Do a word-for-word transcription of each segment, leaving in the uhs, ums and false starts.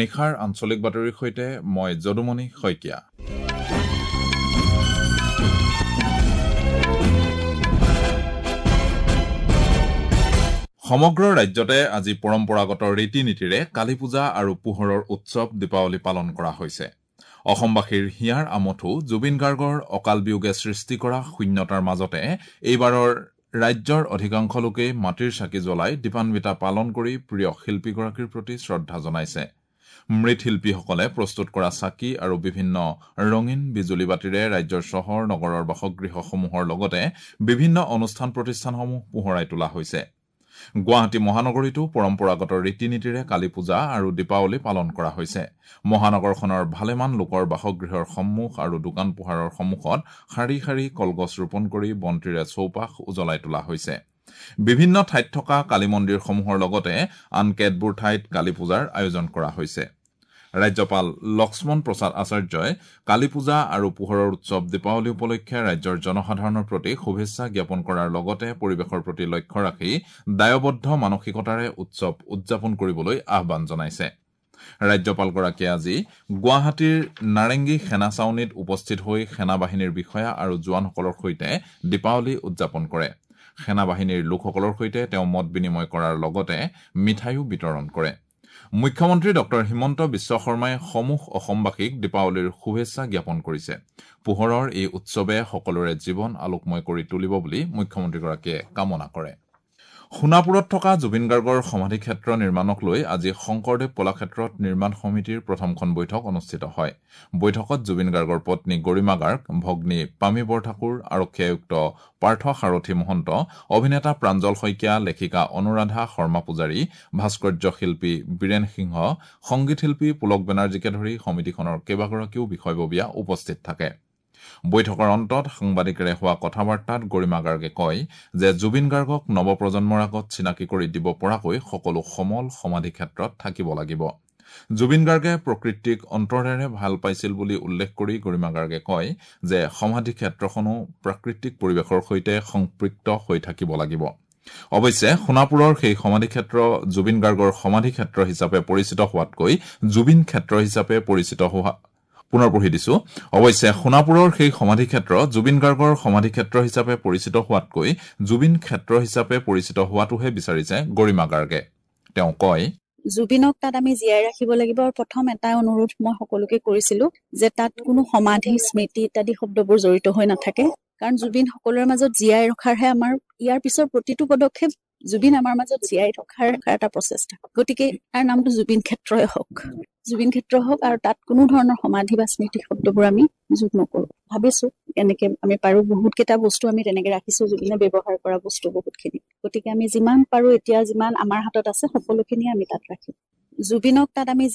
নিশাৰ আঞ্চলিক বাতৰিৰ সৈতে মই যদুমণি শইকীয়া। সমগ্ৰ ৰাজ্যতে আজি পৰম্পৰাগত ৰীতি নীতিৰে কালী পূজা আৰু পোহৰৰ উৎসৱ দীপাৱলী পালন কৰা হৈছে। অসমবাসীৰ হিয়াৰ আমঠু জুবিন গাৰ্গৰ অকাল বিয়োগে সৃষ্টি কৰা শূন্যতাৰ মাজতে এইবাৰৰ ৰাজ্যৰ অধিকাংশ লোকেই মাটিৰ চাকি জ্বলাই দীপান্বিতা পালন কৰি প্ৰিয় শিল্পীগৰাকীৰ প্ৰতি শ্ৰদ্ধা জনাইছে। মৃৎশিল্পীসকলে প্ৰস্তুত কৰা চাকি আৰু বিভিন্ন ৰঙীন বিজুলী বাতিৰে ৰাজ্যৰ চহৰ নগৰৰ বাসগৃহসমূহৰ লগতে বিভিন্ন অনুষ্ঠান প্ৰতিষ্ঠানসমূহ পোহৰাই তোলা হৈছে। গুৱাহাটী মহানগৰীতো পৰম্পৰাগত ৰীতি নীতিৰে কালী পূজা আৰু দীপাৱলী পালন কৰা হৈছে। মহানগৰখনৰ ভালেমান লোকৰ বাসগৃহৰ সন্মুখ আৰু দোকান পোহাৰৰ সন্মুখত শাৰী শাৰী কলগছ ৰোপণ কৰি বন্তিৰে চৌপাশ উজ্বলাই তোলা হৈছে। বিভিন্ন ঠাইত থকা কালী মন্দিৰসমূহৰ লগতে আন কেতবোৰ ঠাইত কালী পূজাৰ আয়োজন কৰা হৈছে। ৰাজ্যপাল লক্ষ্মণ প্ৰসাদ আচাৰ্যই কালী পূজা আৰু পোহৰৰ উৎসৱ দীপাৱলী উপলক্ষে ৰাজ্যৰ জনসাধাৰণৰ প্ৰতি শুভেচ্ছা জ্ঞাপন কৰাৰ লগতে পৰিৱেশৰ প্ৰতি লক্ষ্য ৰাখি দায়বদ্ধ মানসিকতাৰে উৎসৱ উদযাপন কৰিবলৈ আহ্বান জনাইছে। ৰাজ্যপালগৰাকীয়ে আজি গুৱাহাটীৰ নাৰেংগী সেনা ছাউনীত উপস্থিত হৈ সেনাবাহিনীৰ বিষয়া আৰু জোৱানসকলৰ সৈতে দীপাৱলী উদযাপন কৰে। সেনাবাহিনীৰ লোকসকলৰ সৈতে তেওঁ মত বিনিময় কৰাৰ লগতে মিঠাইও বিতৰণ কৰে। মুখ্যমন্ত্ৰী ডক্টৰ হিমন্ত বিশ্ব শৰ্মাই সমূহ অসমবাসীক দীপাৱলীৰ শুভেচ্ছা জ্ঞাপন কৰিছে। পোহৰৰ এই উৎসৱে সকলোৰে জীৱন আলোকময় কৰি তুলিব বুলি মুখ্যমন্ত্ৰীগৰাকীয়ে কামনা কৰে। সোণাপুৰত থকা জুবিন গাৰ্গৰ সমাধিক্ষেত্ৰ নিৰ্মাণক লৈ আজি শংকৰদেৱ কলাক্ষেত্ৰত নিৰ্মাণ সমিতিৰ প্ৰথমখন বৈঠক অনুষ্ঠিত হয়। বৈঠকত জুবিন গাৰ্গৰ পত্নী গৰিমা গাৰ্গ, ভগ্নী পামী বৰঠাকুৰ, আৰক্ষী আয়ুক্ত পাৰ্থ সাৰথী মহন্ত, অভিনেতা প্ৰাঞ্জল শইকীয়া, লেখিকা অনুৰাধা শৰ্মা পূজাৰী, ভাস্কৰ্য শিল্পী বীৰেন সিংহ, সংগীত শিল্পী পুলক বেনাৰ্জীকে ধৰি সমিতিখনৰ কেইবাগৰাকীও বিষয়ববীয়া উপস্থিত থাকে। বৈঠকৰ অন্তত সাংবাদিকেৰে হোৱা কথা বাৰ্তাত গৰিমা গাৰ্গে কয় যে জুবিন গাৰ্গক নৱপ্ৰজন্মৰ আগত চিনাকি কৰি দিব পৰাকৈ সকলো সমল সমাধিক্ষেত্ৰত থাকিব লাগিব। জুবিন গাৰ্গে প্ৰকৃতিক অন্তৰেৰে ভাল পাইছিল বুলি উল্লেখ কৰি গৰিমা গাৰ্গে কয় যে সমাধিক্ষেত্ৰখনো প্ৰাকৃতিক পৰিৱেশৰ সৈতে সংপৃক্ত হৈ থাকিব লাগিব। অৱশ্যে সোণাপুৰৰ সেই সমাধিক্ষেত্ৰ জুবিন গাৰ্গৰ সমাধিক্ষেত্ৰ হিচাপে পৰিচিত হোৱাতকৈ জুবিন ক্ষেত্ৰ হিচাপে পৰিচিত হোৱা পুনৰ পঢ়ি দিছো। অৱশ্যে সোণাপুৰৰ সেই সমাধিক্ষেত্ৰ জুবিন গাৰ্গৰ সমাধিক্ষেত্ৰ হিচাপে পৰিচিত হোৱাতকৈ জুবিন ক্ষেত্ৰ হিচাপে পৰিচিত হোৱাটোহে বিচাৰিছে গৰিমা গাৰ্গে। তেওঁ কয়, জুবিনক তাত আমি জীয়াই ৰাখিব লাগিব। আৰু প্ৰথম এটা অনুৰোধ মই সকলোকে কৰিছিলো যে তাত কোনো সমাধি, স্মৃতি ইত্যাদি শব্দবোৰ জড়িত হৈ নাথাকে, কাৰণ জুবিন সকলোৰে মাজত জীয়াই ৰখাৰহে আমাৰ ইয়াৰ পিছৰ প্ৰতিটো পদক্ষেপ জুবিন আমাৰ মাজত জীয়াই থকাৰ এটা প্ৰচেষ্টা। গতিকে তাৰ নামটো জুবিন ক্ষেত্ৰই হওক, জুবিন ক্ষেত্ৰ হওক, আৰু তাত কোনো ধৰণৰ সমাধি বা স্মৃতি শব্দবোৰ আমি যোগ নকৰো। ভাবিছো এনেকে আমি পাৰো, বহুত কেইটা বস্তু আমি তেনেকে ৰাখিছো, জুবিনে ব্যৱহাৰ কৰা বস্তু বহুতখিনি। গতিকে আমি যিমান পাৰো এতিয়া যিমান আমাৰ হাতত আছে সকলোখিনি আমি তাত ৰাখিম। জুবিনক তাত আমি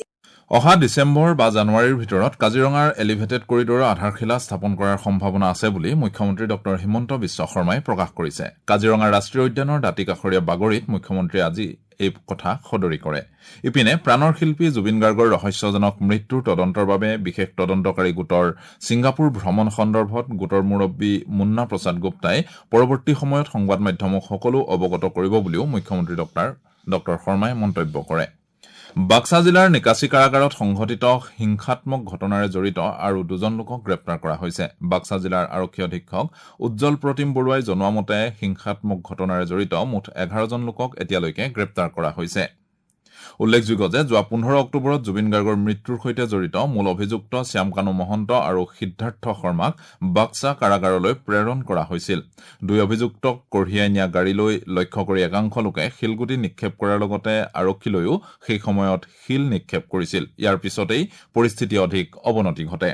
অহা ডিচেম্বৰ বা জানুৱাৰীৰ ভিতৰত কাজিৰঙাৰ এলিভেটেড কৰিডৰৰ আধাৰশিলা স্থাপন কৰাৰ সম্ভাৱনা আছে বুলি মুখ্যমন্ত্ৰী ডক্টৰ হিমন্ত বিশ্ব শৰ্মাই প্ৰকাশ কৰিছে। কাজিৰঙা ৰাষ্ট্ৰীয় উদ্যানৰ দাঁতিকাষৰীয়া বাগৰিত মুখ্যমন্ত্ৰীয়ে আজি এই কথা সদৰি কৰে। ইপিনে প্ৰাণৰ শিল্পী জুবিন গাৰ্গৰ ৰহস্যজনক মৃত্যুৰ তদন্তৰ বাবে বিশেষ তদন্তকাৰী গোটৰ ছিংগাপুৰ ভ্ৰমণ সন্দৰ্ভত গোটৰ মুৰব্বী মুন্না প্ৰসাদ গুপ্তাই পৰৱৰ্তী সময়ত সংবাদ মাধ্যমক সকলো অৱগত কৰিব বুলিও মুখ্যমন্ত্ৰী ডক্টৰ ডক্টৰ শৰ্মাই মন্তব্য কৰে। বাক্সা জিলাৰ নিকাচি কাৰাগাৰত সংঘটিত হিংসাত্মক ঘটনাৰে জড়িত আৰু দুজন লোকক গ্ৰেপ্তাৰ কৰা হৈছে। বাক্সা জিলাৰ আৰক্ষী অধীক্ষক উজ্জ্বল প্ৰতিম বৰুৱাই জনোৱা মতে হিংসাত্মক ঘটনাৰে জড়িত মুঠ এঘাৰজন লোকক এতিয়ালৈকে গ্ৰেপ্তাৰ কৰা হৈছে। উল্লেখযোগ্য যে যোৱা পোন্ধৰ অক্টোবৰত জুবিন গাৰ্গৰ মৃত্যুৰ সৈতে জড়িত মূল অভিযুক্ত শ্যামকানু মহন্ত আৰু সিদ্ধাৰ্থ শৰ্মাক বাক্সা কাৰাগাৰলৈ প্ৰেৰণ কৰা হৈছিল। দুই অভিযুক্তক কঢ়িয়াই নিয়া গাড়ীলৈ লক্ষ্য কৰি একাংশ লোকে শিলগুটি নিক্ষেপ কৰাৰ লগতে আৰক্ষীলৈও সেই সময়ত শিল নিক্ষেপ কৰিছিল। ইয়াৰ পিছতেই পৰিস্থিতি অধিক অৱনতি ঘটে।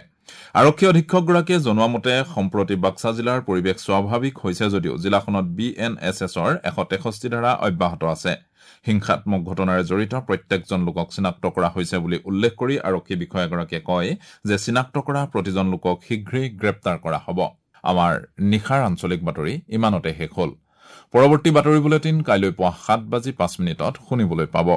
আৰক্ষী অধীক্ষকগৰাকীয়ে জনোৱা মতে সম্প্ৰতি বাক্সা জিলাৰ পৰিৱেশ স্বাভাৱিক হৈছে যদিও জিলাখনত বি এন এছ এছৰ এশ তেষষ্ঠি ধাৰা অব্যাহত আছে। হিংসাত্মক ঘটনাৰে জড়িত প্ৰত্যেকজন লোকক চিনাক্ত কৰা হৈছে বুলি উল্লেখ কৰি আৰক্ষী বিষয়াগৰাকীয়ে কয় যে চিনাক্ত কৰা প্ৰতিজন লোকক শীঘ্ৰেই গ্ৰেপ্তাৰ কৰা হ'ব। আমাৰ নিশাৰ আঞ্চলিক বাতৰি ইমানতে শেষ হ'ল। পৰৱৰ্তী বাতৰি বুলেটিন কাইলৈ পুৱা সাত বাজি পাঁচ মিনিটত শুনিবলৈ পাব।